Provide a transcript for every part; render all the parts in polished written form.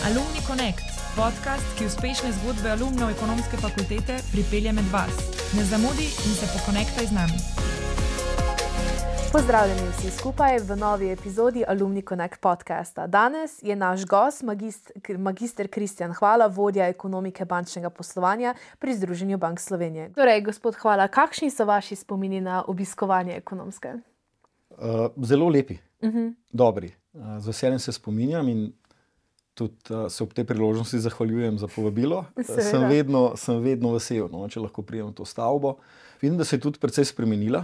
Alumni Connect, podcast, ki uspešne zgodbe alumnov ekonomske fakultete pripelje med vas. Ne zamudi in se pokonektaj z nami. Pozdravljeni vsi skupaj v novi epizodi Alumni Connect podcasta. Danes je naš gost magister Kristjan Hvala, vodja ekonomike bančnega poslovanja pri Združenju Bank Slovenije. Torej, gospod Hvala, kakšni so vaši spomini na obiskovanje ekonomske? Zelo lepi, dobri. Z veseljem se spominjam in tudi se ob tej priložnosti zahvaljujem za povabilo. Sem vedno vesel, če lahko pridem v to stavbo. Vidim, da se je tudi precej spremenila.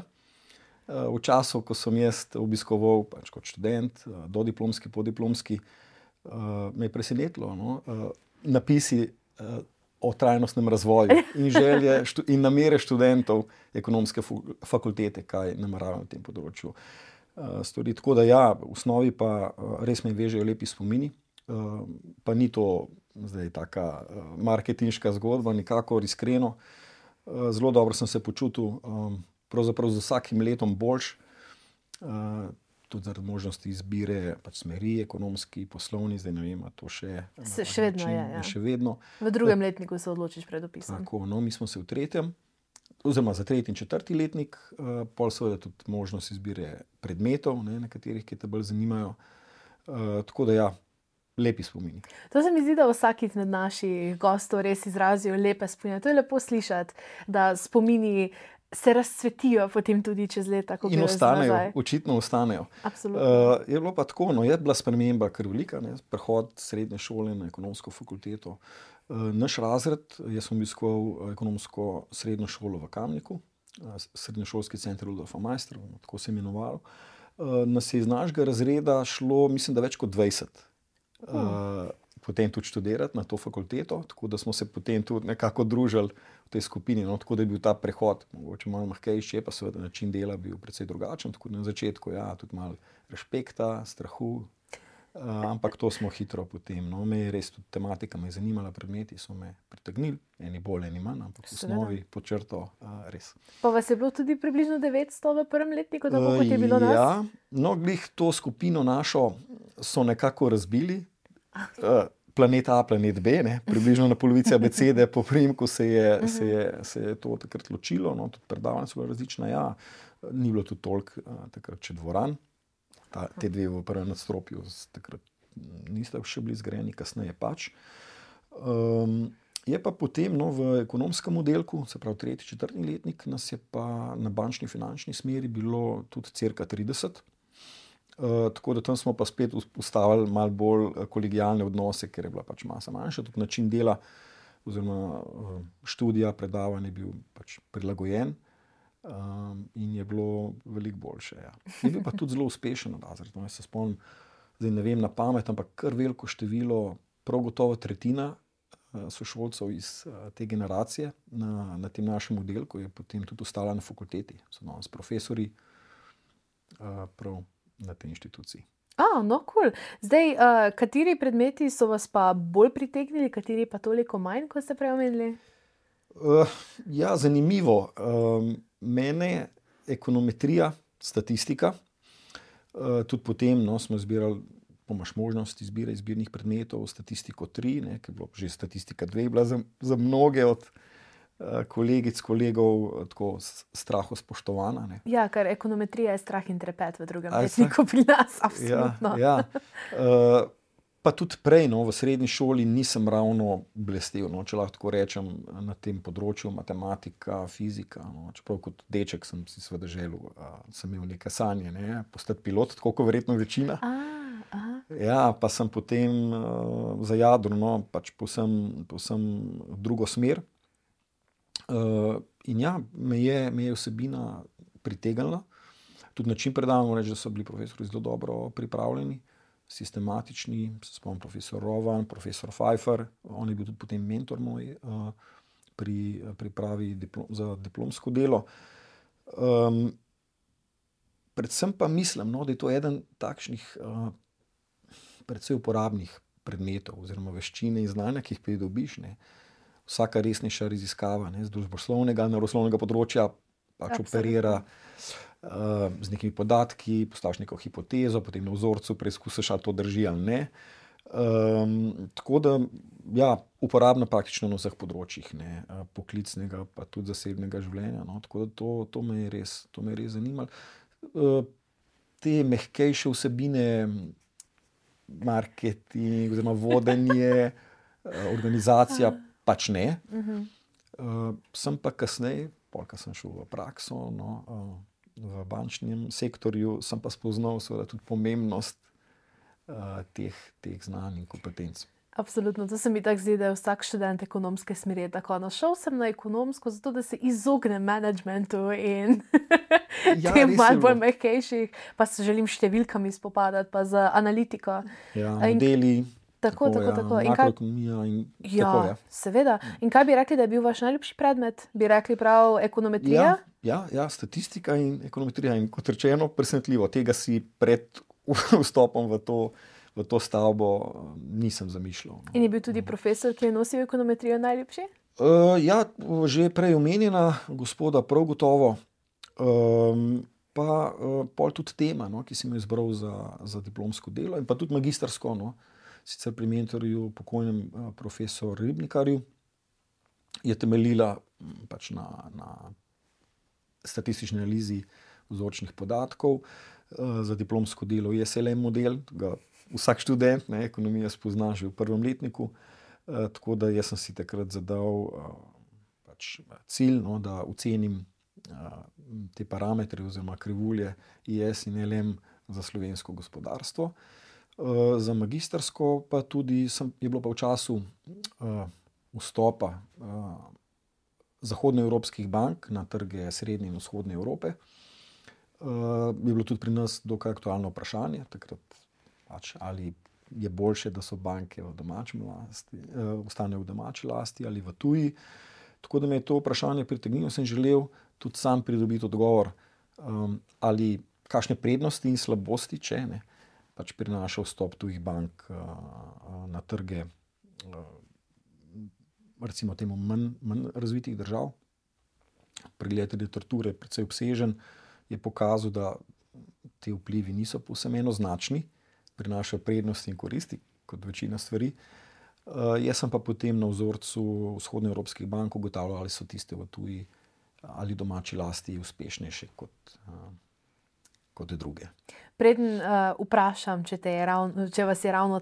V času, ko sem jaz obiskoval kot študent, dodiplomski, podiplomski, me je presenetilo napisi o trajnostnem razvoju in želje in namere študentov ekonomske fakultete, kaj nameravajo na tem področju storiti. Tako da ja, v osnovi pa res me vežejo lepi spomini, pa ni to zdaj taka marketinška zgodba, nikakor iskreno. Zelo dobro sem se počutil, pravzaprav z vsakim letom boljš, tudi zaradi možnosti izbire smeri, ekonomski, poslovni, zdaj ne vem, to še vedno je. Ja. Še vedno. V drugem letniku se odločiš pred opisom. Tako, mi smo se v tretjem, oziroma za tretji in četrti letnik, pol seveda tudi možnost izbire predmetov, na katerih, ki te bolj zanimajo. Tako da ja, lepi spomini. To se mi zdi, da vsak izmed naših gostov res izrazijo lepe spomine. To je lepo slišati, da spomini se razcvetijo potem tudi čez leta. In ostanejo, očitno ostanejo. Absolutno. Je bilo pa tako, je bila sprememba kar velika, prehod srednje šole na ekonomsko fakulteto. Naš razred, jaz sem obiskoval ekonomsko srednjo šolo v Kamniku, srednješolski center Rudolfa Maistra, tako se je imenovalo. Nas je iz našega razreda šlo, mislim, da več kot 20. Potem tudi študirati na to fakulteto, tako da smo se potem tudi nekako družili v tej skupini, tako da je bil ta prehod mogoče malo mahkejši, pa seveda način dela bil precej drugačen, tako da na začetku tudi malo respekta, strahu, ampak to smo hitro potem, me je res tudi tematika me je zanimala, predmeti so me pritegnili, eni bolj, eni manj, ampak v osnovi pod črto res. Pa vas je bilo tudi približno 900 v prvem letniku, tako kot je bilo nas? Ja, glih to skupino našo so nekako razbili, planet A, planet B, približno na polovici abecede, po priimku se je to takrat ločilo, tudi predavanja so bila različna, ni bilo tudi toliko takrat še dvoran, te dve v prvem nadstropju takrat niste še bili zgrajeni, kasneje pač. Je pa potem v ekonomskem oddelku, se pravi tretji, četrti letnik, nas je pa na bančni finančni smeri bilo tudi cirka 30. Tako da tam smo pa spet ustavili malo bolj kolegijalne odnose, ker je bila pač masa manjša, tudi način dela oziroma študija, predavanje je bil pač prilagojen in je bilo veliko boljše. Ja. Je bil pa tudi zelo uspešen razred. Jaz se spomnim, zdaj ne vem na pamet, ampak kar veliko število, prav gotovo tretjina sošolcev iz te generacije na tem našem oddelku je potem tudi ostala na fakulteti, so danes profesori prav na tej inštituciji. Cool. Zdaj, kateri predmeti so vas pa bolj pritegnili, kateri pa toliko manj, kot ste prej omenili? Zanimivo. Mene ekonometrija, statistika, tudi potem smo izbirali, imaš možnost izbire izbirnih predmetov, statistiko 3, ki je bilo že statistika 2, bila za mnoge od kolegic, kolegov tako straho spoštovana. Ja, ker ekonometrija je strah in trepet v drugem letniku pri nas, absolutno. Ja. Pa tudi prej, v srednji šoli nisem ravno blestel, če lahko tako rečem, na tem področju matematika, fizika. Čeprav kot deček sem si seveda želel, sem imel neke sanje, postati pilot, tako kot verjetno večina. Ja, pa sem potem zajadral pač povsem drugo smer. In me je vsebina pritegnila. Tudi način predavanja, reči, da so bili profesori zelo dobro pripravljeni, sistematični, se spomnim profesor Rovan, profesor Pfeiffer, on je bil tudi potem mentor moj pri pripravi za diplomsko delo. Predvsem pa mislim, da je to eden takšnih predvsej uporabnih predmetov oziroma veščine in znanja, ki jih pridobiš, vsaka resnejša raziskava z družboslovnega, naravoslovnega področja pač operira z nekimi podatki, postaviš neko hipotezo, potem na vzorcu preizkusiš, ali to drži ali ne. Tako da, ja, uporabna praktično na vseh področjih, ne, poklicnega, pa tudi zasebnega življenja. No. Tako da to me je res zanimalo. Te mehkejše vsebine, marketing, oziroma vodenje, organizacija, pač ne. Sem pa kasneje, ko sem šel v prakso, no, v bančnem sektorju, sem pa spoznal seveda tudi pomembnost teh znanj in kompetenc. Absolutno, to se mi tako zdi, da je vsak študent ekonomske smeri tako. No, šel sem na ekonomsko, zato da se izognem managementu in tem malo bolj mehkejših, pa se želim številkami spopadati, pa z analitiko. Ja, modeli. Tako. Makroekonomija in tako, ja. Seveda. In kaj bi rekli, da je bil vaš najljubši predmet? Bi rekli prav ekonometrija? Ja, statistika in ekonometrija. In kot rečeno, presenetljivo. Tega si pred vstopom v to stavbo nisem zamišljal. No. In je bil tudi profesor, ki je nosil ekonometrijo, najljubši? Ja, že prej omenjena gospoda prav gotovo. Pa pol tudi tema, no, ki sem jo izbral za diplomsko delo in pa tudi magistrsko, no. Sicer pri mentorju, pokojnem profesor Ribnikarju, je temeljila pač na statistični analizi vzorčnih podatkov. Za diplomsko delo je SLM model, ga vsak študent, ne, ekonomija spozna že v prvem letniku. Tako da jaz sem si takrat zadal pač cilj, no, da ocenim te parametre oziroma krivulje IS in LM za slovensko gospodarstvo. Za magistrsko pa tudi je bilo pa v času vstopa zahodnoevropskih bank na trge srednje in vzhodne Evrope. Je bilo tudi pri nas dokaj aktualno vprašanje takrat, pač, ali je boljše, da so banke v domačem lasti, ostanejo v domači lasti ali v tuji. Tako da me je to vprašanje pritegnilo, sem želel tudi sam pridobiti odgovor, ali kakšne prednosti in slabosti, če ne, pač prinaša vstop tujih bank na trge, recimo temu manj razvitih držav. Pregled literature, precej obsežen, je pokazal, da ti vplivi niso povsem enoznačni, prinašajo prednosti in koristi, kot večina stvari. Jaz sem pa potem na vzorcu vzhodnoevropskih bank ugotavljal, ali so tiste v tuji ali domači lasti uspešnejše kot druge. Preden vprašam, če vas je ravno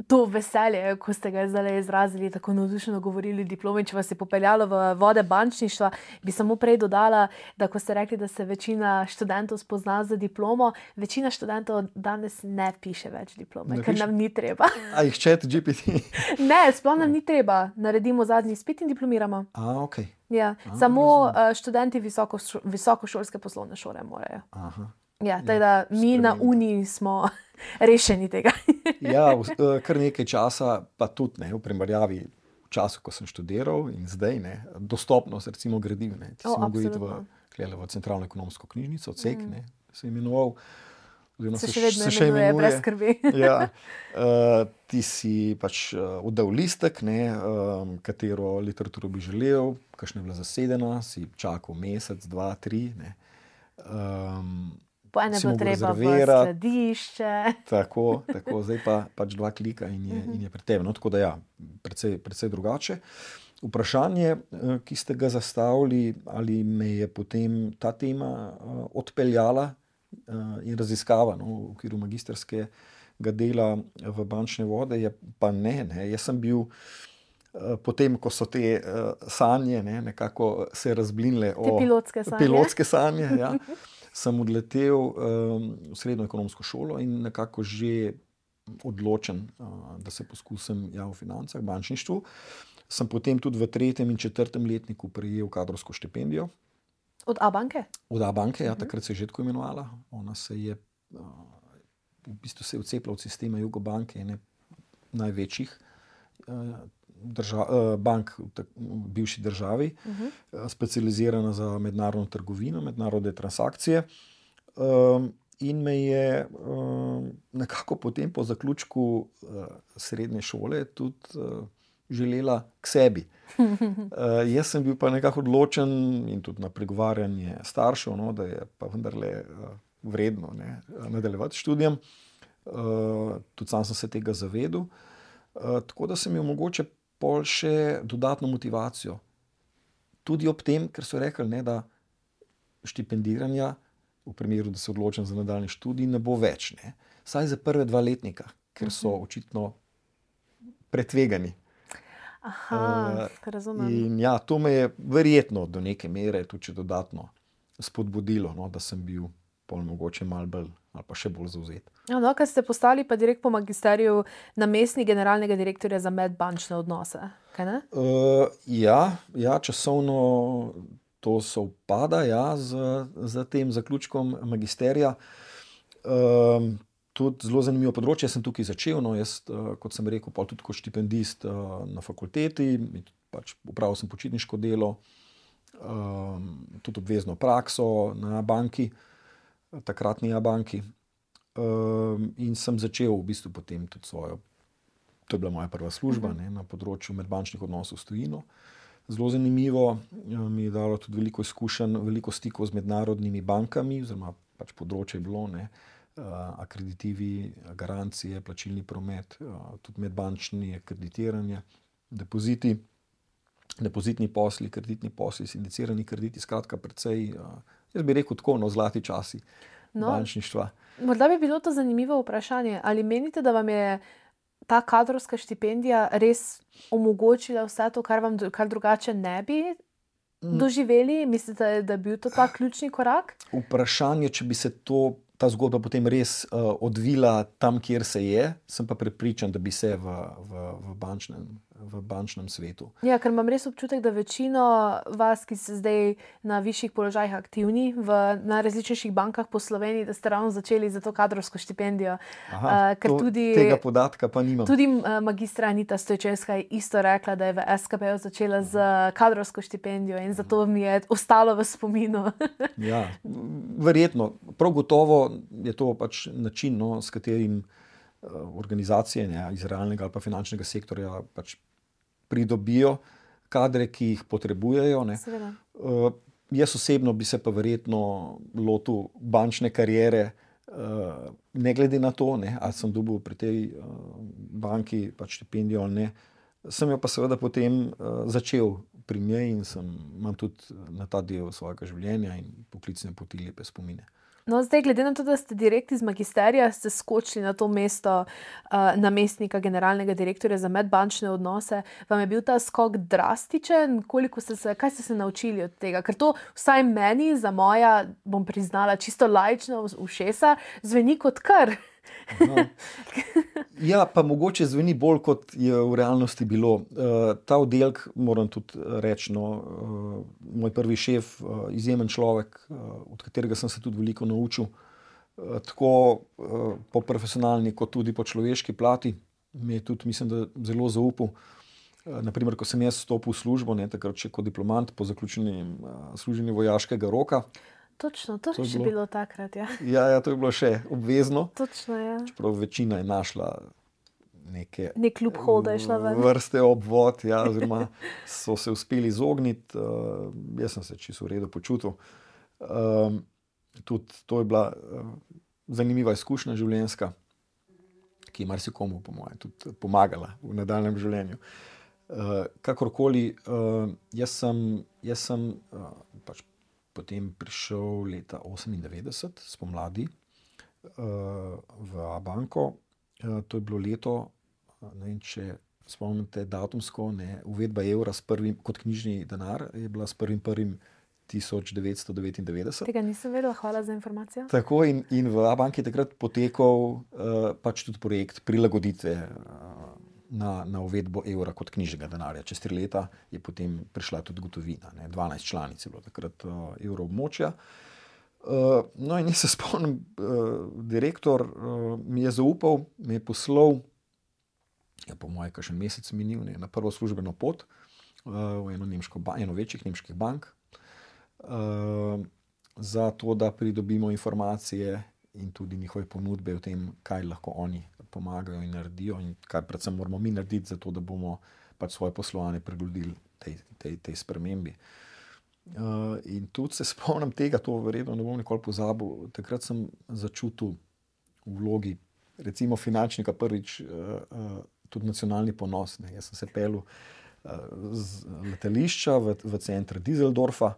to veselje, ko ste ga zdaj izrazili, tako navdušeno govorili o diplomi, če vas je popeljalo v vode bančništva, bi samo prej dodala, da ko ste rekli, da se večina študentov spozna za diplomo, večina študentov danes ne piše več diplome, ker nam ni treba. A jih ChatGPT? Ne, sploh nam ni treba. Naredimo zadnji izpit in diplomiramo. Ok. Ja, samo študenti visokošolske poslovne šole morajo. Ja, tako da mi na Uniji smo rešeni tega. Ja, kar nekaj časa, pa tudi ne, v primerjavi v času, ko sem študiral in zdaj, ne, dostopnost recimo gradiv, ne, ti si mogel iti v centralno ekonomsko knjižnico, CEK, ne, se je imenoval. Se še vedno imenuje, brez skrbi. Ja, ti si pač oddal listek, ne, katero literaturo bi želel, kakšna je bila zasedena, si čakal mesec, 2, 3, ne. Po ene bilo treba v skladišče. Tako, zdaj pa pač 2 klika in je pri tebi. No, tako da ja, precej drugače. Vprašanje, ki ste ga zastavili, ali me je potem ta tema odpeljala in raziskava, no, v okviru magistrskega dela v bančne vode, je pa ne. Jaz sem bil potem, ko so te sanje, ne, nekako se razblinile pilotske sanje, ja, sem odletel v srednjo ekonomsko šolo in nekako že odločen, da se poskusim v financah, bančništvu. Sem potem tudi v 3. in 4. letniku prejel kadrovsko štipendijo. Od A-banke? Od A-banke, ja, takrat se je že tako imenovala. Ona se je v bistvu se je vcepila od sistema Jugobanke, ene največjih bank v bivši državi, specializirana za mednarodno trgovino, mednarodne transakcije. In me je nekako potem po zaključku srednje šole tudi želela k sebi. Jaz sem bil pa nekako odločen in tudi na pregovarjanje staršev, no, da je pa vendarle vredno, ne, nadaljevati študijem. tudi sam sem se tega zavedel. Tako da sem imel mogoče pol še dodatno motivacijo. Tudi ob tem, ker so rekli, ne, da štipendiranja, v primeru, da se odločim za nadaljnji študij, ne bo več. Ne. Saj za prve 2 letnika, ker so očitno pretvegani. Aha, razumem. In ja, to me je verjetno do neke mere tudi dodatno spodbudilo, no, da sem bil pol mogoče malo bolj ali pa še bolj zavzet. No, kad ste postali pa direkt po magisteriju namestnik generalnega direktorja za medbančne odnose, kaj ne? Ja, časovno to sovpada, ja, z tem zaključkom magisterija. Tudi zelo zanimivo področje. Jaz sem tukaj začel, no, jaz, kot sem rekel, pa tudi kot štipendist na fakulteti, pač opravil sem počitniško delo, tudi obvezno prakso na banki, takratni banki. In sem začel v bistvu potem tudi svojo, to je bila moja prva služba, ne, na področju medbančnih odnosov s tujino. Zelo zanimivo, mi je dalo tudi veliko izkušenj, veliko stikov z mednarodnimi bankami, oziroma pač področje je bilo, ne, akreditivi, garancije, plačilni promet, tudi medbančni akreditiranje, depozitni posli, kreditni posli, sindicirani krediti, skratka precej, jaz bi rekel tako, no, zlati časi bančništva. Morda bi bilo to zanimivo vprašanje. Ali menite, da vam je ta kadrovska štipendija res omogočila vse to, kar drugače ne bi doživeli? Mislite, da je bil to ta ključni korak? Vprašanje, če bi se ta zgodba potem res odvila tam, kjer se je, sem pa prepričan, da bi se v bančnem svetu. Ja, ker imam res občutek, da večino vas, ki ste zdaj na višjih položajih aktivni na različnejših bankah po Sloveniji, da ste ravno začeli za to kadrovsko štipendijo. Tega podatka pa nimam. Tudi magistra Anita Stojčevska je isto rekla, da je v SKB začela z kadrovsko štipendijo in zato mi je ostalo v spominu. Ja, verjetno. Prav gotovo je to pač način, no, s katerim organizacije, ne, iz realnega ali pa finančnega sektorja pač pridobijo kadre, ki jih potrebujejo. Ne. Jaz osebno bi se pa verjetno lotil bančne kariere, ne glede na to, ne, ali sem dobil pri tej banki pač štipendijo ali ne. Sem jo pa seveda potem začel pri njej in imam tudi na ta del svojega življenja in poklicne poti lepe spomine. No, zdaj, glede na to, da ste direkt iz magisterija, ste skočili na to mesto namestnika generalnega direktorja za medbančne odnose. Vam je bil ta skok drastičen? Kaj ste se naučili od tega? Ker to vsaj meni, za moja, bom priznala, čisto laična ušesa, zveni kot kar. Ja, pa mogoče zveni bolj, kot je v realnosti bilo. Ta oddelek, moram tudi reči, no, moj prvi šef, izjemen človek, od katerega sem se tudi veliko naučil, tako po profesionalni, kot tudi po človeški plati. Mi je tudi, mislim, da zelo zaupal. Naprimer, ko sem jaz vstopil v službo, ne, takrat še kot diplomant po zaključenem služenju vojaškega roka. Točno, to je še bilo takrat, ja. Ja, to je bilo še obvezno. Točno, ja. Čeprav večina je našla nek loophole, da je šla ven. Vrste obvod, ja, oziroma so se uspeli izogniti. Jaz sem se čisto v redu počutil. Tudi to je bila zanimiva izkušnja življenjska, ki je marsikomu, po mojem, tudi pomagala v nadaljnjem življenju. Kakorkoli, jaz sem pač potem prišel leta 1998 spomladi v banko. To je bilo leto, ne vem, če spomnite datumsko, ne, uvedba evra kot knjižni denar je bila s 1.1.1999. Tega nisem vedela, hvala za informacijo. Tako in v banki je takrat potekal pač tudi projekt prilagoditve na uvedbo evra kot knjižnega denarja. Čez 3 leta je potem prišla tudi gotovina. 12 članic je bilo takrat evroobmočja. No in jaz se spomnim, direktor mi je zaupal, me je poslal, po moje kakšen mesec minil, na prvo službeno pot v eno večjih nemških bank, za to, da pridobimo informacije in tudi njihove ponudbe o tem, kaj lahko oni pomagajo in naredijo in kaj predvsem moramo mi narediti, zato da bomo pač svoje poslovanje prilagodili tej spremembi. In tudi se spomnim tega, to verjetno ne bom nikoli pozabil, takrat sem začutil v vlogi recimo finančnika prvič tudi nacionalni ponos. Ne. Jaz sem se pelil z letališča v center Düsseldorfa,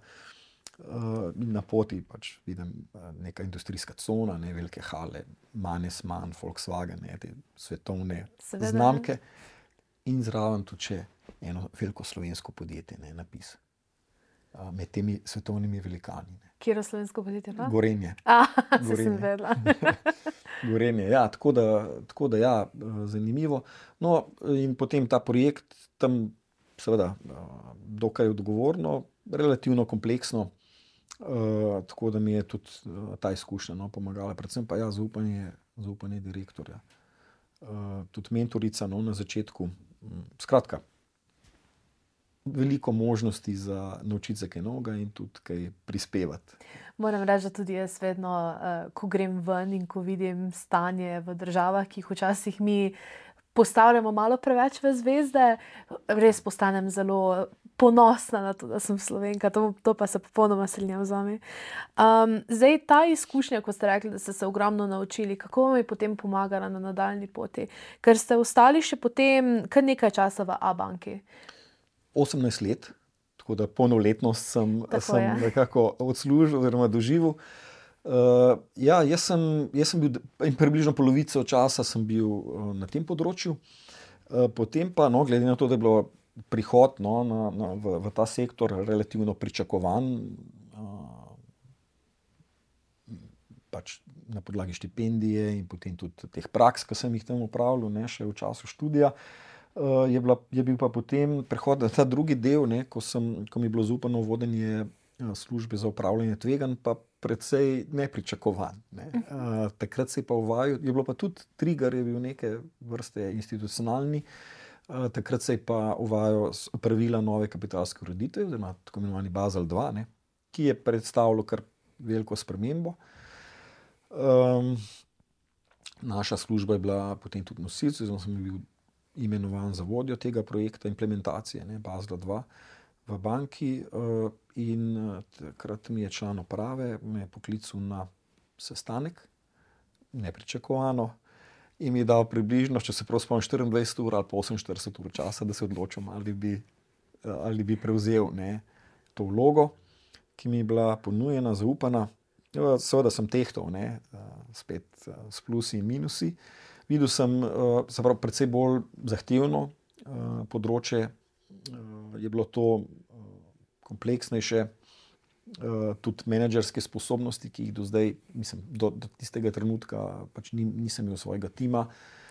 na poti pač vidim neka industrijska cona, ne, velike hale, Mannesmann, Volkswagen, ne, te svetovne znamke in zraven tudi še eno veliko slovensko podjetje, ne, napis. Med temi svetovnimi velikani. Ne. Kjero slovensko podjetje pa? Gorenje. Se sem vedela. Gorenje, ja, tako da ja, zanimivo. No, in potem ta projekt tam seveda dokaj odgovorno, relativno kompleksno, tako da mi je tudi ta izkušnja pomagala, predvsem pa ja, zaupanje direktorja. Tudi mentorica na začetku. Skratka, veliko možnosti za naučiti se kaj novega in tudi kaj prispevati. Moram reči, da tudi jaz vedno, ko grem ven in ko vidim stanje v državah, ki jih včasih mi postavljamo malo preveč v zvezde, res postanem zelo ponosna na to, da sem Slovenka. To pa se popolnoma strinjam z vami. Zdaj, ta izkušnja, ko ste rekli, da ste se ogromno naučili, kako vam je potem pomagala na nadaljnji poti? Ker ste ostali še potem kar nekaj časa v A-banki. 18 let, tako da polnoletnost sem nekako odslužil oziroma doživel. Ja, jaz sem bil in približno polovico časa sem bil na tem področju. Potem pa, glede na to, da je bilo prihod v ta sektor relativno pričakovan, pač na podlagi štipendije in potem tudi teh praks, ki sem jih tam opravljal, ne, še v času študija, je bil pa potem prehod na ta drugi del, ne, ko mi je bilo zaupano vodenje službe za upravljanje tveganj, pa precej nepričakovan. Ne. Takrat se je pa uvajal, je bilo pa tudi trigger, je bil neke vrste institucionalni, takrat se je pa uvajal pravila nove kapitalske ureditve, oziroma tako imenovani Basel 2, ne, ki je predstavljal kar veliko spremembo. Naša služba je bila potem tudi nosilec, oziroma sem bil imenovan za vodjo tega projekta implementacije, ne, Basel 2 v banki, in takrat mi je član uprave me je poklical na sestanek, nepričakovano, in mi je dal približno, če se prav spomnim, 24 ur ali pa 48 ur časa, da se odločim, ali bi prevzel, ne, to vlogo, ki mi je bila ponujena, zaupana. Seveda sem tehtal, ne, spet s plusi in minusi. Videl sem, se pravi, precej bolj zahtevno področje, je bilo to kompleksnejše, tudi menedžerske sposobnosti, ki jih do zdaj, mislim, do tistega trenutka pač nisem imel svojega tima.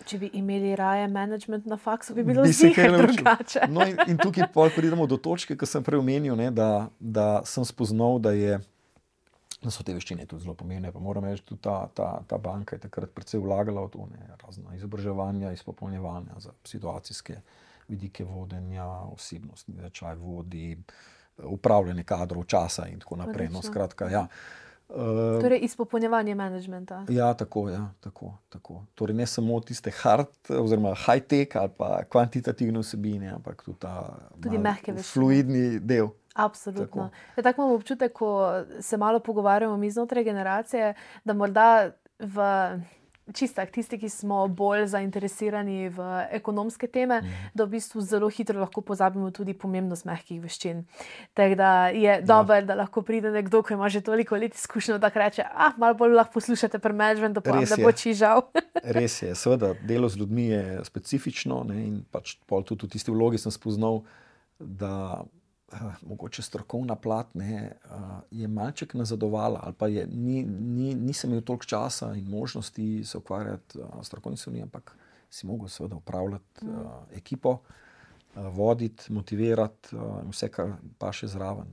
Če bi imeli raje management na faksu, bi bilo ziher drugače. No in tukaj pridemo do točke, ki sem prej omenil, ne, da sem spoznal, da so te veščine tudi zelo pomembne, pa moram reči, tudi ta banka je takrat precej vlagala v to, ne, razna izobraževanja, izpopolnjevanja za situacijske vidike vodenja, osebnostni značaj vodi, upravljanje kadrov, časa in tako naprej. No, skratka, ja. Torej izpopolnjevanje managementa. Ja, tako. Torej ne samo tiste hard oziroma high-tech ali pa kvantitativne vsebine, ampak tudi mehke veščine, fluidni del. Absolutno. Tako imam občutek, ko se malo pogovarjamo mi znotraj generacije, da morda tisti, ki smo bolj zainteresirani v ekonomske teme, da v bistvu zelo hitro lahko pozabimo tudi pomembnost mehkih veščin. Tako da je dobro, da lahko pride nekdo, ki ima že toliko let izkušnjo, da reče, malo bolj lahko poslušate pri managementu, pa vam ne bo čižal. Res je, seveda, delo z ljudmi je specifično, ne, in pač pol tudi v tisti vlogi sem spoznal, da mogoče strokovna plat, ne, je malček nazadovala, ali pa nisem imel toliko časa in možnosti se ukvarjati s strokovnimi stvarmi, ampak si mogel seveda upravljati ekipo, voditi, motivirati, vse, kar pa še zraven.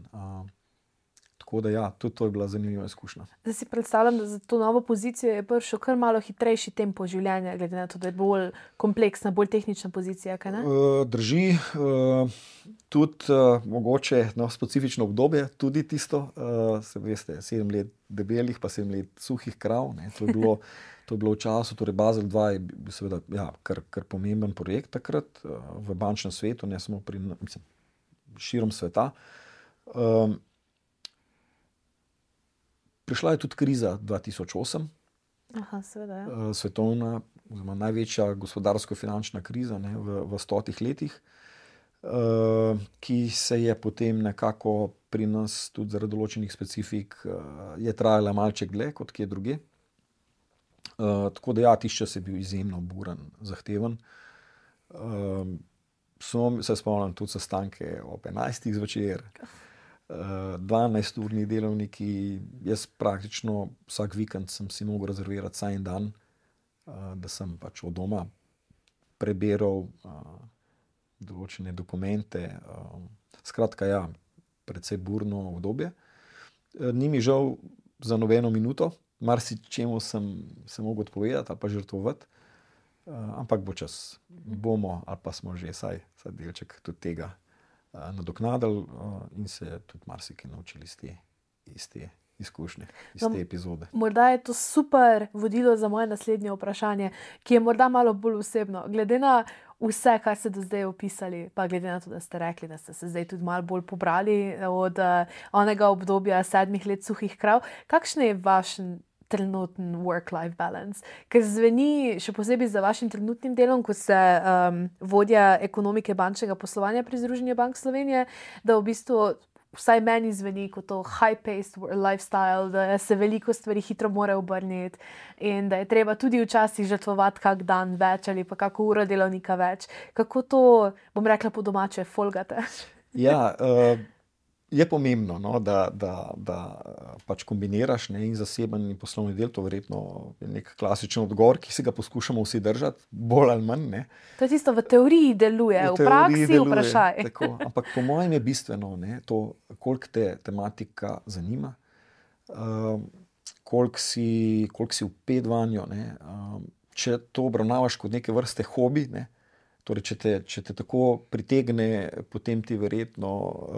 Tako da ja, tudi to je bila zanimiva izkušnja. Zdaj si predstavljam, da za to novo pozicijo je prišel kar malo hitrejši tempo življenja, glede na to, da je bolj kompleksna, bolj tehnična pozicija, kaj ne? Drži, tudi mogoče specifično obdobje, tudi tisto, se veste, 7 let debelih, pa 7 let suhih krav, ne, to je bilo v času, torej Basel 2 je bil seveda kar pomemben projekt takrat v bančnem svetu, ne samo širom sveta. Prišla je tudi kriza 2008, Aha, seveda, svetovna, oziroma največja gospodarsko-finančna kriza, ne, v 100 letih, ki se je potem nekako pri nas tudi zaradi določenih specifik je trajala malček dlje kot kje drugje. Tako da tisti čas je bil izjemno buren, zahteven. Se spomnim tudi sestanke ob 11. zvečer, 12-urni delovniki. Jaz praktično vsak vikend sem si mogel rezervirati vsaj en dan, da sem pač od doma prebiral določene dokumente. Skratka, precej burno obdobje. Ni mi žal za nobeno minuto, marsičemu sem se mogel odpovedati ali pa žrtvovati, ampak bo čas, bomo ali pa smo že vsaj delček tudi tega nadoknadili in se tudi marsikaj naučili iz te izkušnje, iz te epizode. Morda je to super vodilo za moje naslednje vprašanje, ki je morda malo bolj osebno. Glede na vse, kar ste do zdaj opisali, pa glede na to, da ste rekli, da ste se zdaj tudi malo bolj pobrali od onega obdobja 7 let suhih krav, kakšen je vaš trenutni work-life balance? Ker zveni, še posebej za vašim trenutnim delom, ko ste vodja ekonomike bančnega poslovanja pri Združenju bank Slovenije, da v bistvu vsaj meni zveni kot to high-paced lifestyle, da se veliko stvari hitro mora obrniti in da je treba tudi včasih žrtvovati kak dan več ali pa kako uro delovnika več. Kako to, bom rekla po domače, folgate? Je pomembno, no, da pač kombiniraš, ne, in zaseben in poslovni del. To verjetno je nek klasičen odgovor, ki se ga poskušamo vsi držati, bolj ali manj. Ne. To je tisto, v teoriji deluje, v praksi deluje, vprašaj. Tako, ampak po mojem je bistveno, ne, to, koliko te tematika zanima, koliko si vpet vanjo. Ne. Če to obravnavaš kot neke vrste hobi, ne, torej, če te tako pritegne, potem ti verjetno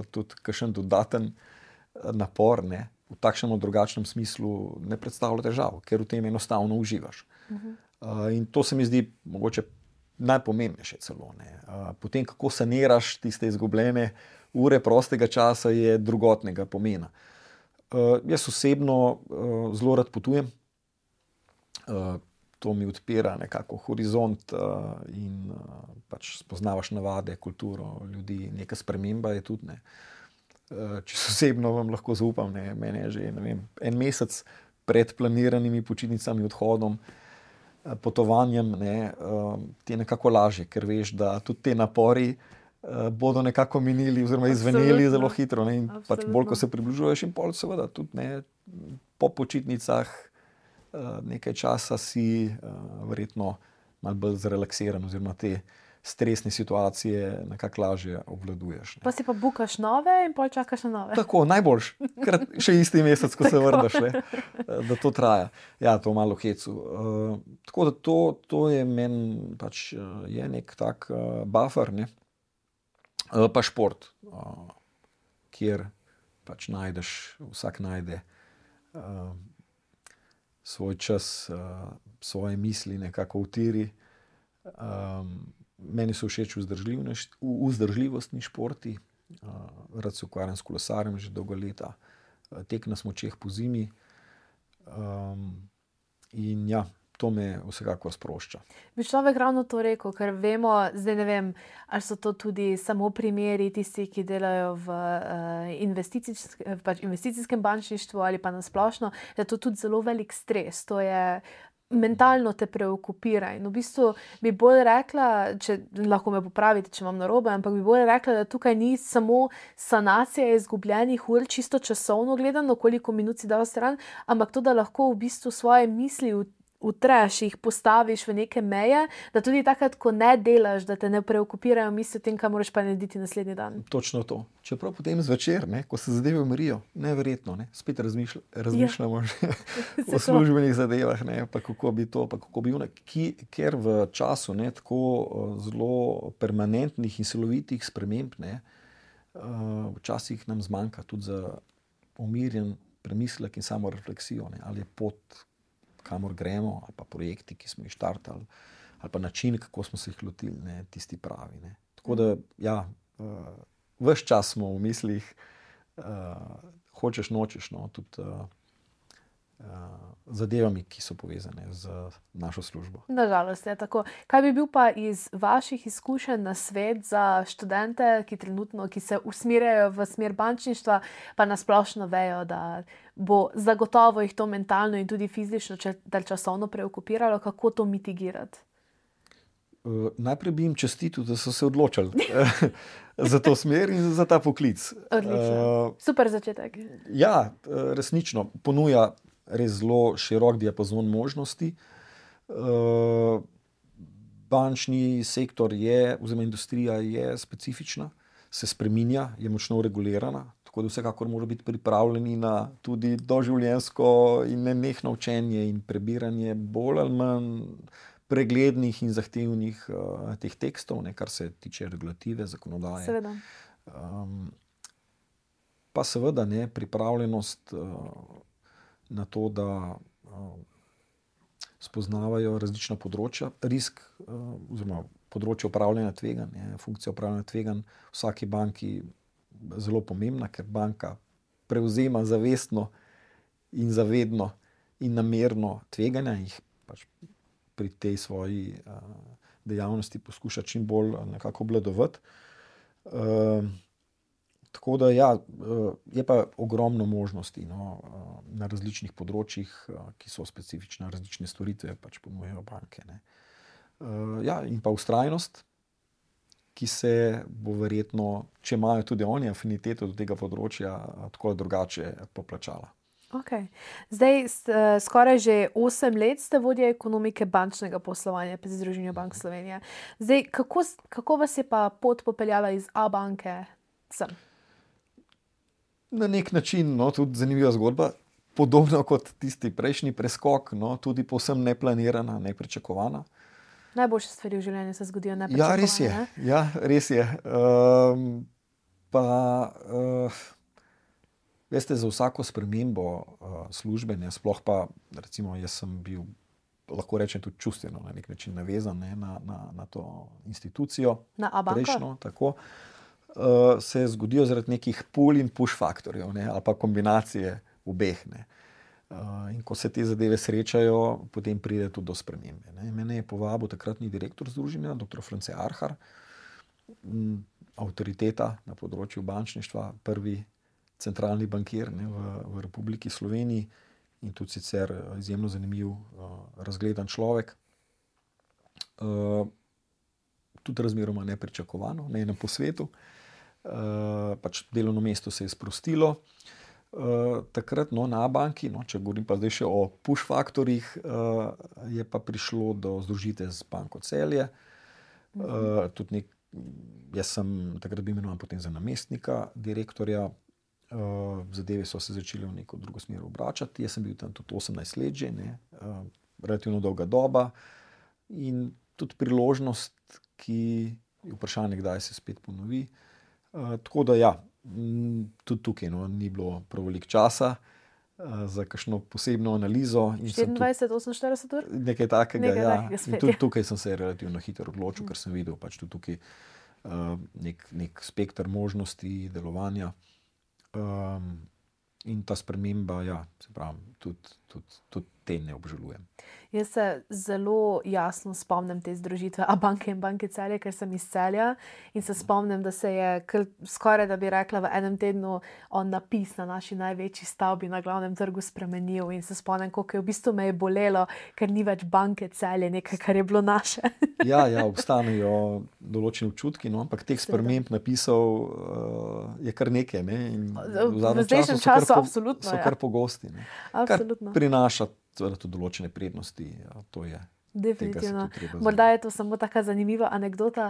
tudi kakšen dodaten napor, ne, v takšnem ali drugačnem smislu ne predstavlja težav, ker v tem enostavno uživaš. In to se mi zdi mogoče najpomembnejše celo. Ne. Potem, kako saniraš tiste izgubljene ure prostega časa, je drugotnega pomena. Jaz osebno zelo rad potujem. To mi odpira nekako horizont in pač spoznavaš navade, kulturo ljudi, neka sprememba je tudi. Ne. Čisto osebno vam lahko zaupam, ne. Mene je že en mesec pred planiranimi počitnicami, odhodom, potovanjem, ne, ti je nekako lažje, ker veš, da tudi te napori bodo nekako minili oziroma izveneli zelo hitro. Ne. In pač bolj, ko se približuješ, in pol seveda tudi, ne, po počitnicah nekaj časa si verjetno malo bolj zrelaksiran oziroma te stresne situacije nekako lažje obvladuješ. Ne. Pa si pa bukaš nove in pol čakaš na nove. Tako, najboljš, ker še isti mesec, ko se vrneš, ne, da to traja. To malo hecu. Tako da to je meni pač je nek tak buffer, ne. Pa šport, kjer pač najdeš, vsak najde svoj čas, svoje misli nekako utiri. Meni so všeč vzdržljivostni športi. Rad se ukvarjam s kolesarjem že dolga leta. Tek na smučeh po zimi. In to me vsekakor sprošča. Bi človek ravno to rekel, ker vemo, zdaj ne vem, ali so to tudi samo primeri tisti, ki delajo v investicijskem bančništvu ali pa na splošno, da je to tudi zelo velik stres. To je mentalno te preokupira in v bistvu bi bolj rekla, če lahko me popravite, če imam narobe, ampak bi bolj rekla, da tukaj ni samo sanacija izgubljenih ur, čisto časovno gledano, koliko minut si dal stran, ampak to, da lahko v bistvu svoje misli utreš, jih postaviš v neke meje, da tudi takrat, ko ne delaš, da te ne preokupirajo misli o tem, kaj moraš pa narediti naslednji dan. Točno to. Čeprav potem zvečer, ne, ko se zadeve umirijo, neverjetno, ne, spet razmišljamo že o službenih zadevah, ne, pa kako bi to, pa kako bi ono, ker v času, ne, tako zelo permanentnih in silovitih sprememb, ne, včasih nam zmanjka tudi za umirjen premislek in samo refleksijo, ne, ali je pot, kamor gremo, ali pa projekti, ki smo jih štartali, ali pa način, kako smo se jih lotili, ne, tisti pravi. Ne. Tako da, ves čas smo v mislih, hočeš, nočeš, no, tudi zadevami, ki so povezane z našo službo. Nažalost je tako. Kaj bi bil pa iz vaših izkušenj na svet za študente, ki se usmerjajo v smer bančništva, pa nasplošno vejo, da bo zagotovo jih to mentalno in tudi fizično časovno preokupiralo, kako to mitigirati? Najprej bi jim čestitil, da so se odločili za to smer in za ta poklic. Odlično. Super začetek. Ja, resnično ponuja res zelo širok diapazon možnosti. Bančni sektor oziroma industrija je specifična, se spreminja, je močno regulirana, tako da vsekakor mora biti pripravljeni na tudi doživljenjsko in nenehno učenje in prebiranje bolj ali manj preglednih in zahtevnih teh tekstov, kar se tiče regulative, zakonodaje. Seveda. Pa seveda pripravljenost na to, da spoznavajo različna področja, risk oziroma področje upravljanja tveganj, funkcija upravljanja tveganj v vsaki banki zelo pomembna, ker banka prevzema zavestno in zavedno in namerno tveganja in jih pač pri tej svoji dejavnosti poskuša čim bolj nekako obvladovati. Tako da je pa ogromno možnosti na različnih področjih, ki so specifične, različne storitve pač ponujajo banke. In pa vztrajnost, ki se bo verjetno, če imajo tudi oni afiniteto do tega področja, tako drugače poplačala. Okay. Zdaj, skoraj že 8 let ste vodja ekonomike bančnega poslovanja pri Združenju bank Slovenije. Zdaj, kako vas je pa pot popeljala iz Abanke sem? Na nek način, tudi zanimiva zgodba, podobno kot tisti prejšnji preskok, tudi povsem neplanirana, nepričakovana. Najboljše stvari v življenju se zgodijo nepričakovane. Ja, res je. Veste, za vsako spremembo službe, sploh pa, recimo, jaz sem bil, lahko rečem, tudi čustveno na nek način navezan na to institucijo. Na Abanko? Prejšnjo, tako. Se zgodijo zaradi nekih pull in push faktorjev, ali pa kombinacije obeh. In ko se te zadeve srečajo, potem pride tudi do spremembe. Mene je povabil takratni direktor združenja, dr. France Arhar, avtoriteta na področju bančništva, prvi centralni bankir v Republiki Sloveniji in tudi sicer izjemno zanimiv, razgledan človek. Tudi razmeroma nepričakovano, na enem posvetu. Pač delovno mesto se je sprostilo. Takrat na Abanki, če govorim pa zdaj še o push faktorjih, je pa prišlo do združitve z Banko Celje. Tudi jaz sem takrat bil imenovan potem za namestnika direktorja. Zadeve so se začele v neko drugo smer obračati. Jaz sem bil tam tudi 18 let že, relativno dolga doba in tudi priložnost, ki je vprašanje, kdaj se spet ponovi. Tako da tudi tukaj ni bilo prav veliko časa za kakšno posebno analizo. 24-48 ur? Nekaj takega, In tudi tukaj sem se relativno hitro odločil, ker sem videl pač tudi tukaj nek spekter možnosti delovanja. In ta sprememba, se pravi, tudi te ne obžalujem. Jaz se zelo jasno spomnim te združitve Abanke in Banke Celje, ker sem iz Celja in se spomnim, da se je skoraj, da bi rekla, v enem tednu napis na naši največji stavbi na Glavnem trgu spremenil in se spomnim, koliko je v bistvu me je bolelo, ker ni več Banke Celje, nekaj, kar je bilo naše. Ja, obstanejo določeni občutki, ampak teh sprememb napisov je kar nekaj. V zdajšnjem času absolutno so kar pogosti. Kar prinaša tudi določene prednosti. To je. Definitivno. Morda je to samo taka zanimiva anekdota.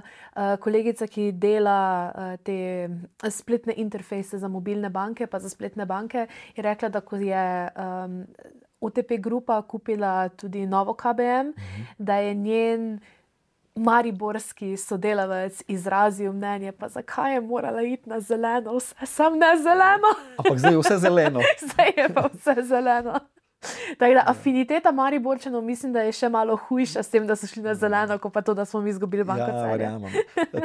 Kolegica, ki dela te spletne interfejse za mobilne banke pa za spletne banke, je rekla, da ko je OTP grupa kupila tudi novo KBM, da je njen mariborski sodelavec izrazil mnenje, pa zakaj je morala iti na zeleno, vse sam ne zeleno. Ampak zdaj je vse zeleno. Zdaj je pa vse zeleno. Tako da afiniteta Mariborčanov mislim, da je še malo hujša s tem, da so šli na zeleno, kot pa to, da smo mi izgubili Banko Celje. Verjamem.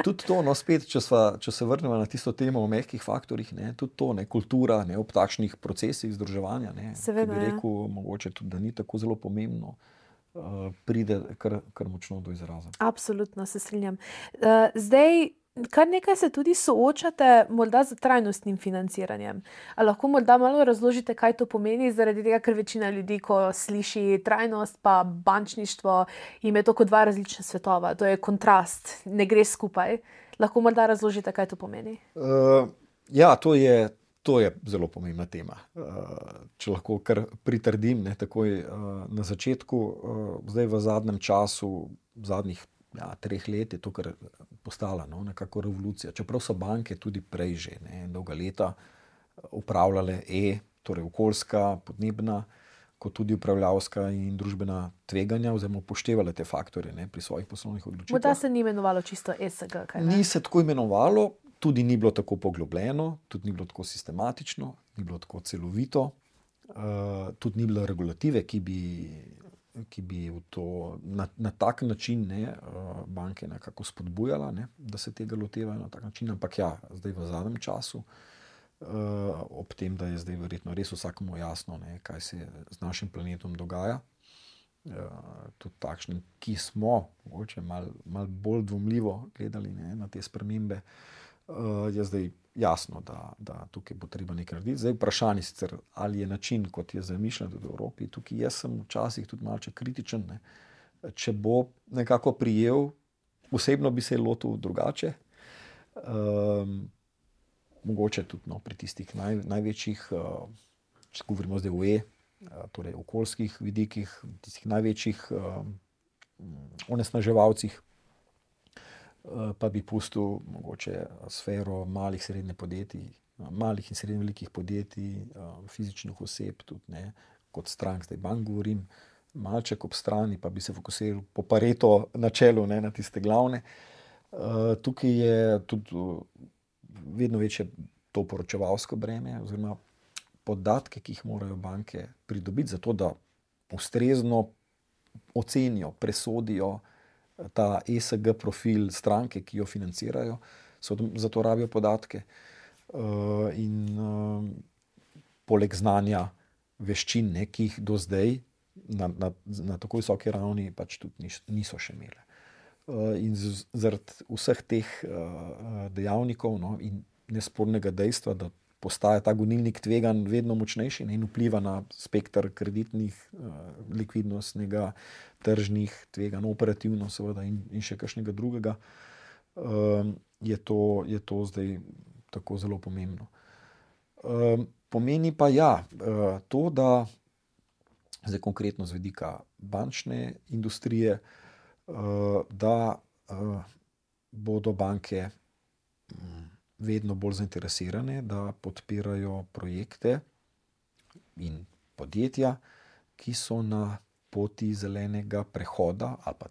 Tudi to, spet, če se vrnemo na tisto temo o mehkih faktorjih, tudi to, kultura, ob takšnih procesih združevanja, Seveda, ki bi rekel, mogoče tudi, da ni tako zelo pomembno, pride kar močno do izraza. Absolutno, se strinjam. Zdaj, kar nekaj se tudi soočate morda z trajnostnim financiranjem. A lahko morda malo razložite, kaj to pomeni, zaradi tega, ker večina ljudi, ko sliši trajnost pa bančništvo, jim je to kot dva različna svetova. To je kontrast, ne gre skupaj. Lahko morda razložite, kaj to pomeni? To je zelo pomembna tema. Če lahko kar pritrdim, takoj na začetku, zdaj v zadnjem času, zadnjih 3 let je to kar postala nekako revolucija. Čeprav so banke tudi prej že dolga leta upravljale torej okoljska, podnebna, kot tudi upravljavska in družbena tveganja, oziroma upoštevale te faktorje pri svojih poslovnih odločitvah. Morda se ni imenovalo čisto ESG, kaj ne? Ni se tako imenovalo, tudi ni bilo tako poglobljeno, tudi ni bilo tako sistematično, ni bilo tako celovito, tudi ni bilo regulative, ki bi v to na tak način banke nekako spodbujala, da se tega lotevajo na tak način, ampak zdaj v zadnjem času, ob tem, da je zdaj verjetno res vsakому jasno, kaj se z našim planetom dogaja, tudi takšnim, ki smo mogoče malo bolj dvomljivo gledali na te spremembe, je zdaj jasno, da tukaj bo treba nekaj narediti. Zdaj vprašanje sicer, ali je način, kot je zamišljen v Evropi, tukaj jaz sem včasih tudi malce kritičen, če bo nekako prijel, osebno bi se lotil drugače, mogoče tudi pri tistih največjih, če govorimo zdaj o torej okoljskih vidikih, tistih največjih onesnaževalcih, pa bi pustil mogoče sfero malih in srednje velikih podjetij, fizičnih oseb, tudi kot strank, zdaj bank govorim, malček ob strani, pa bi se fokusiral po Pareto načelu na tiste glavne. Tukaj je tudi vedno večje to poročevalsko breme, oziroma podatke, ki jih morajo banke pridobiti, zato da ustrezno ocenijo, presodijo ta ESG profil stranke, ki jo financirajo, zato rabijo podatke. In poleg znanja veščin, ki jih do zdaj na tako visoki ravni pač tudi niso še imele. In zaradi vseh teh dejavnikov in nespornega dejstva, da postaja ta gonilnik tveganj vedno močnejši in vpliva na spekter kreditnih, likvidnostnega, tržnih tveganj, operativno seveda in še kakšnega drugega, je to zdaj tako zelo pomembno. Pomeni pa to, da zdaj konkretno z vidika bančne industrije, da bodo banke vedno bolj zainteresirane, da podpirajo projekte in podjetja, ki so na poti zelenega prehoda ali pa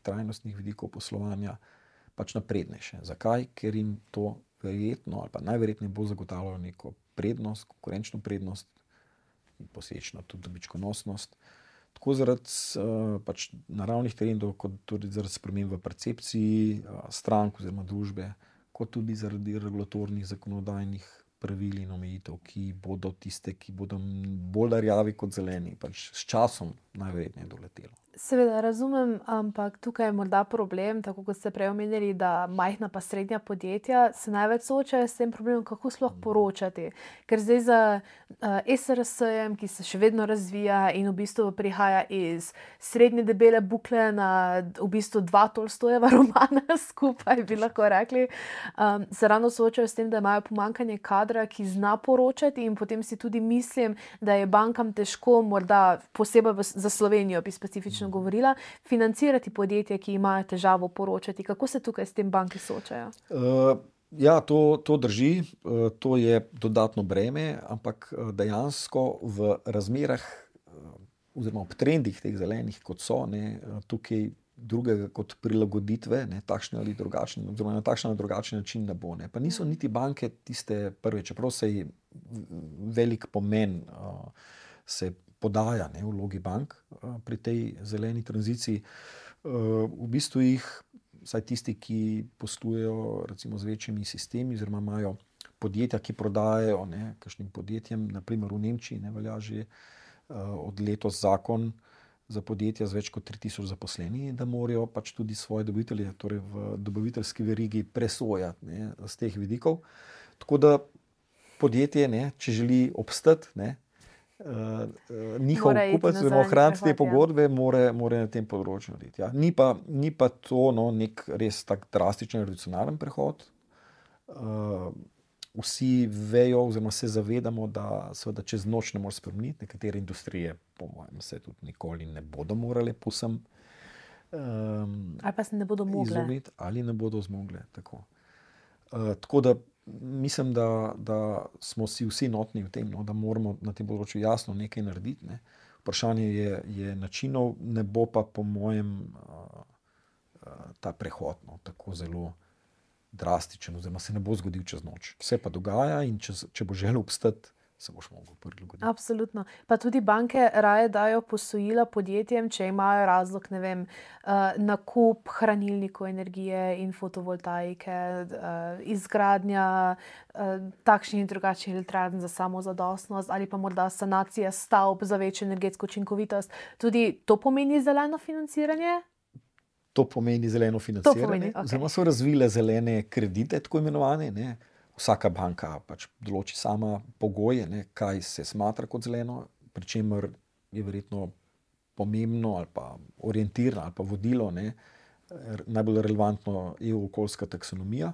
trajnostnih vidikov poslovanja pač naprednejše. Zakaj? Ker jim to verjetno ali pa najverjetneje bo zagotavljalo neko prednost, konkurenčno prednost in posledično tudi dobičkonosnost. Tako zaradi pač naravnih trendov, kot tudi zaradi sprememb v percepciji strank oziroma družbe, kot tudi zaradi regulatornih zakonodajnih pravil in omejitev, ki bodo tiste, ki bodo bolj rjavi kot zeleni, pač s časom najverjetneje doletelo. Seveda razumem, ampak tukaj je morda problem, tako kot ste prej omenili, da majhna pa srednja podjetja se največ soočajo s tem problemom, kako sploh poročati. Ker zdaj za SRS-jem, ki se še vedno razvija in v bistvu prihaja iz srednje debele bukle na v bistvu 2 Tolstojeva romana skupaj, bi lahko rekli, se ravno soočajo s tem, da imajo pomanjkanje kadra, ki zna poročati, in potem si tudi mislim, da je bankam težko, morda posebej za Slovenijo bi specifično govorila, financirati podjetja, ki imajo težavo poročati. Kako se tukaj s tem banke soočajo? To drži, to je dodatno breme, ampak dejansko v razmerah oziroma ob trendih teh zelenih, kot so, tukaj drugega kot prilagoditve, takšne ali drugačne, oziroma na takšen ali drugačen način ne bo. Pa niso niti banke tiste prve, čeprav se velik pomen se podaja v vlogi bank pri tej zeleni tranziciji. V bistvu jih, vsaj tisti, ki poslujejo recimo z večjimi sistemi, oziroma imajo podjetja, ki prodajajo kakšnim podjetjem, naprimer v Nemčiji velja že od letos zakon za podjetja z več kot 3000 zaposlenimi, da morajo pač tudi svoje dobavitelje, torej v dobaviteljski verigi presojati z teh vidikov. Tako da podjetje, če želi obstati, njihov kupec, oziroma ohraniti te pogodbe, mora na tem področju narediti. Ja. Ni pa to nek res tak drastičen, revolucionaren prehod. Vsi vejo, oziroma se zavedamo, da seveda čez noč ne more spremeniti. Nekatere industrije, po mojem, se tudi nikoli ne bodo morale povsem ali pa se ne bodo mogle izumiti, ali ne bodo zmogle. Tako da mislim, da smo si vsi notni v tem, da moramo na tem področju jasno nekaj narediti. Vprašanje je načinov, ne bo pa po mojem ta prehod tako zelo drastičen, oziroma se ne bo zgodil čez noč. Vse pa dogaja in če bo želel obstati, se boš mogel prilagoditi. Absolutno. Pa tudi banke raje dajo posojila podjetjem, če imajo razlog, nakup hranilnikov energije in fotovoltaike, izgradnja takšnih in drugačnih elektrarn za samozadostnost ali pa morda sanacija stavb za večjo energetsko učinkovitost. Tudi to pomeni zeleno financiranje? To pomeni zeleno financiranje. Oziroma so razvile zelene kredite, tako imenovane. Vsaka banka pač določi sama pogoje, kaj se smatra kot zeleno, pri čemer je verjetno pomembno ali pa orientirano ali pa vodilo, najbolj relevantno EU okoljska taksonomija.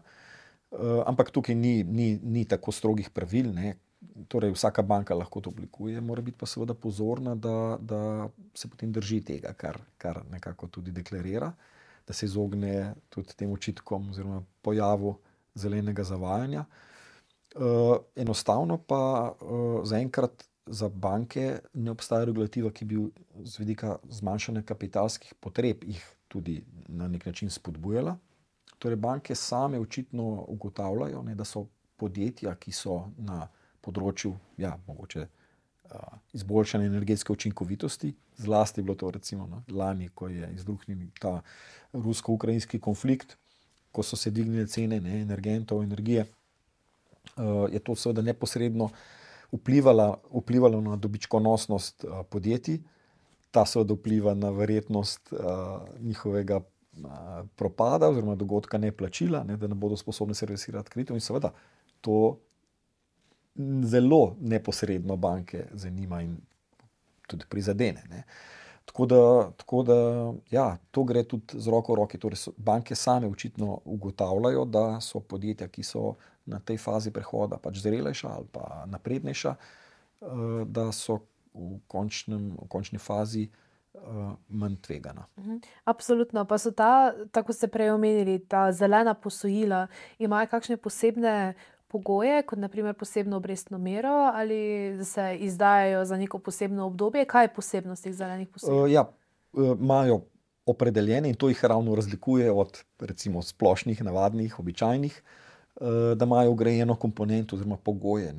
Ampak tukaj ni tako strogih pravil. Torej vsaka banka lahko to oblikuje, mora biti pa seveda pozorna, da se potem drži tega, kar nekako tudi deklarira, da se izogne tudi tem očitkom oziroma pojavu zelenega zavajanja. Enostavno pa zaenkrat za banke ne obstaja regulativa, ki bi z vidika zmanjšanja kapitalskih potreb jih tudi na nek način spodbujala. Torej banke same očitno ugotavljajo, da so podjetja, ki so na področju mogoče izboljšanja energetske učinkovitosti, zlasti je bilo to recimo lani, ko je izbruhnil ta rusko-ukrajinski konflikt, ko so se dvignile cene energentov, energije, je to seveda neposredno vplivalo na dobičkonosnost podjetij. Ta seveda vpliva na verjetnost njihovega propada oziroma dogodka neplačila, da ne bodo sposobni servisirati kreditov, in seveda to zelo neposredno banke zanima in tudi prizadene. Tako da to gre tudi z roko v roki. Torej banke same očitno ugotavljajo, da so podjetja, ki so na tej fazi prehoda pač zrelejša ali pa naprednejša, da so v končni fazi manj tvegana. Absolutno. Pa so tako ste prej omenili, ta zelena posojila, imajo kakšne posebne pogoje, kot na primer posebno obrestno mero, ali se izdajajo za neko posebno obdobje? Kaj je posebnost teh zelenih posojil? Imajo opredeljene, in to jih ravno razlikuje od recimo splošnih, navadnih, običajnih, da imajo vgrajeno komponento oziroma pogoje,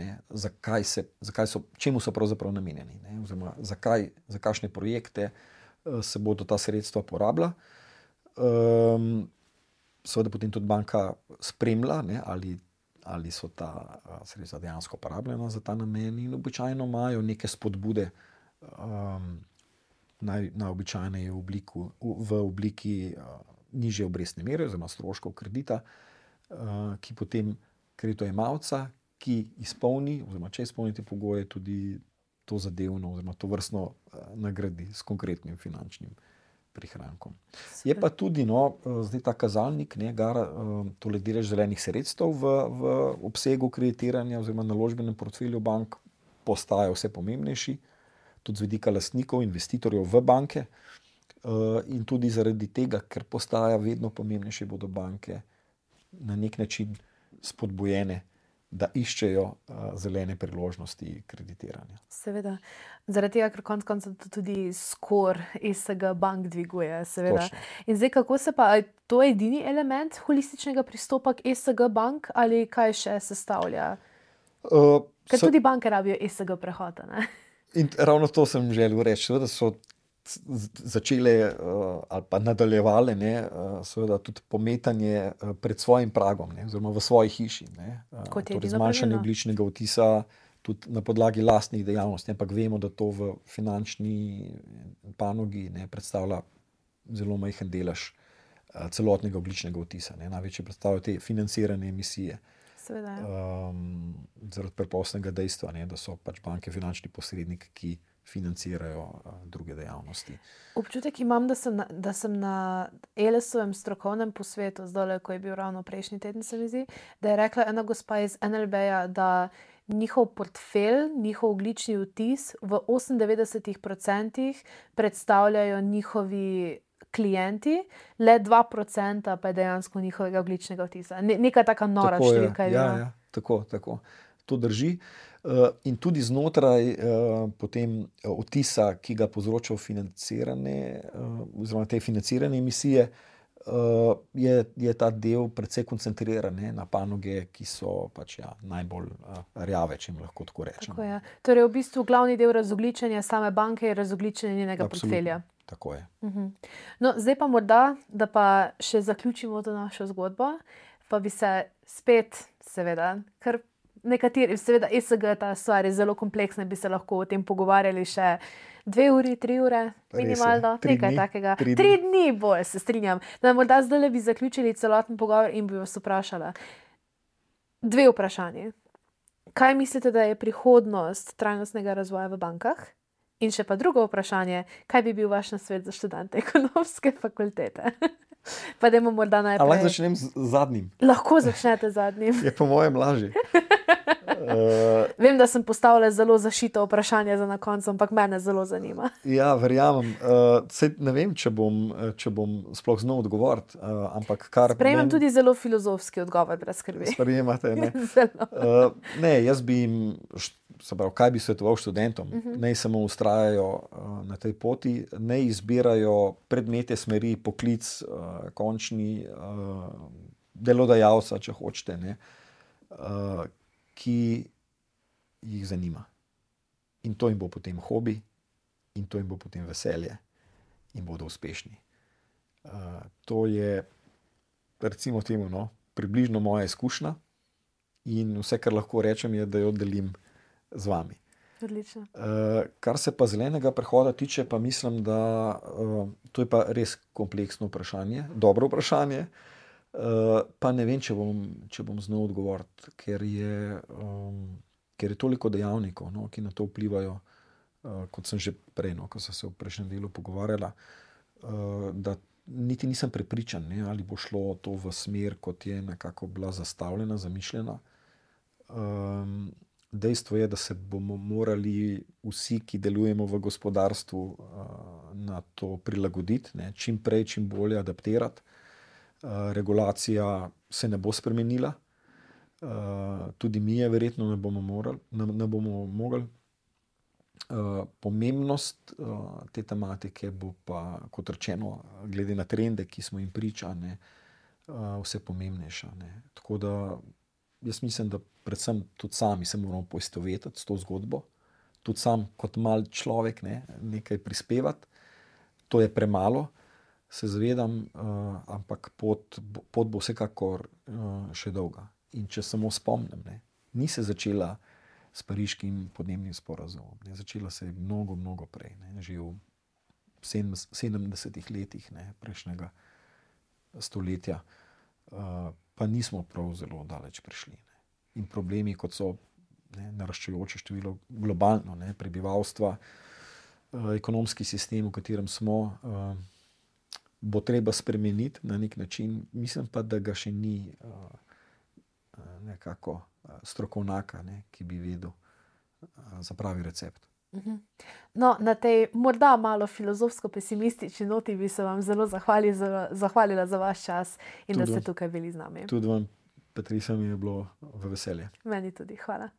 čemu so pravzaprav namenjeni, oziroma za kakšne projekte se bodo ta sredstva porabila. Seveda potem tudi banka spremlja, ali so ta sredstva dejansko porabljena za ta namen, in običajno imajo neke spodbude, najobičajneje v obliki nižje obrestne mere oziroma stroškov kredita, ki potem kreditojemalca, ki izpolni oziroma če izpolni te pogoje, tudi to zadevno oziroma to vrstno nagradi s konkretnim finančnim prihrankom. Je pa tudi zdaj ta kazalnik, tole delež zelenih sredstev v obsegu kreditiranja oziroma naložbenem portfelju bank postaja vse pomembnejši, tudi z vidika lastnikov, investitorjev v banke, in tudi zaradi tega, ker postaja vedno pomembnejše, bodo banke na nek način spodbujene, da iščejo zelene priložnosti kreditiranja. Seveda. Zaradi tega, ker konec koncev tudi score ESG bank dviguje. Seveda. In zdaj, kako se pa, to je edini element holističnega pristopa k ESG bank, ali kaj še sestavlja? Ker tudi banke rabijo ESG prehod, ne? In ravno to sem želel reči, da so začele ali pa nadaljevale seveda tudi pometanje pred svojim pragom, oziroma v svoji hiši. Torej zmanjšanje ogljičnega odtisa tudi na podlagi lastnih dejavnosti, ampak vemo, da to v finančni panogi predstavlja zelo majhen delež celotnega ogljičnega odtisa. Največje predstavljajo te financirane emisije. Zaradi preprostega dejstva, da so pač banke finančni posredniki, ki financirajo druge dejavnosti. Občutek imam, da sem na Elesovem strokovnem posvetu, zdaj, ko je bil ravno prejšnji teden, se mi zdi, da je rekla ena gospa iz NLB-ja, da njihov portfelj, njihov ogljični odtis v 98% predstavljajo njihovi klienti, le 2% pa je dejansko njihovega ogljičnega odtisa. Neka taka nora številka je bila. Ja, tako. To drži. In tudi znotraj potem odtisa, ki ga povzročajo financirane, oziroma te financirane emisije, je ta del precej koncentriran na panoge, ki so pač najbolj rjave, če jim lahko tako rečem. Tako je. Torej v bistvu glavni del razogljičenja same banke je razogljičenje njenega portfelja. Tako je. No, zdaj pa morda, da pa še zaključimo to našo zgodbo, pa bi se spet, seveda, ker nekateri, seveda ESG, ta stvar je zelo kompleksna, bi se lahko o tem pogovarjali še 2 uri, 3 ure, minimalno, nekaj takega. 3 dni bolj, se strinjam. Da morda zdaj bi zaključili celoten pogovor in bi vas vprašala. 2 vprašanji. Kaj mislite, da je prihodnost trajnostnega razvoja v bankah? In še pa drugo vprašanje, kaj bi bil vaš nasvet za študente ekonomske fakultete? Pa dajmo morda najprej. Lahko začnem z zadnjim? Lahko začnete z zadnjim. Je po mojem lažje. Vem, da sem postavila zelo zašito vprašanje za na koncu, ampak mene zelo zanima. Ja, verjamem. Ne vem, če bom sploh znal odgovoriti, ampak kar... Sprejemam tudi zelo filozofski odgovor, brez skrbi. Sprejemate, ne? Ne, jaz bi jim... kaj bi svetoval študentom? Naj samo vztrajajo na tej poti, naj izbirajo predmete, smeri, poklic, končni delodajalca, če hočete, ki jih zanima. In to jim bo potem hobi, in to jim bo potem veselje, in bodo uspešni. To je, recimo temu, približno moja izkušnja, in vse, kar lahko rečem, je, da jo delim z vami. Odlično. Kar se pa zelenega prehoda tiče, pa mislim, da to je pa res kompleksno vprašanje, dobro vprašanje, pa ne vem, če bom znal odgovoriti, ker je toliko dejavnikov, ki na to vplivajo, kot sem že prej, ko sem se v prejšnjem delu pogovarjala, da niti nisem prepričan, ali bo šlo to v smer, kot je nekako bila zastavljena, zamišljena. Dejstvo je, da se bomo morali vsi, ki delujemo v gospodarstvu, na to prilagoditi, čim prej, čim bolje adaptirati. Regulacija se ne bo spremenila, tudi mi je verjetno ne bomo mogli. Pomembnost te tematike bo pa, kot rečeno, glede na trende, ki smo jim priča, vse pomembnejša. Tako da jaz mislim, da predvsem tudi sami se moramo poistovetiti s to zgodbo, tudi sam kot mal človek nekaj prispevati. To je premalo, se zavedam, ampak pot bo vsekakor še dolga. In če samo spomnim, ni se začela s Pariškim podnebnim sporazumom. Začela se je mnogo, mnogo prej, že v 70 letih prejšnjega stoletja, pa nismo prav zelo daleč prišli. In problemi, kot so naraščajoče število globalno prebivalstva, ekonomski sistem, v katerem smo, bo treba spremeniti na nek način. Mislim pa, da ga še ni nekako strokovnjaka, ki bi vedel za pravi recept. No, na tej morda malo filozofsko-pesimistični noti bi se vam zelo zahvalila za vaš čas in da ste tukaj bili z nami. Tudi vam, Patricia, mi je bilo v veselje. Meni tudi, hvala.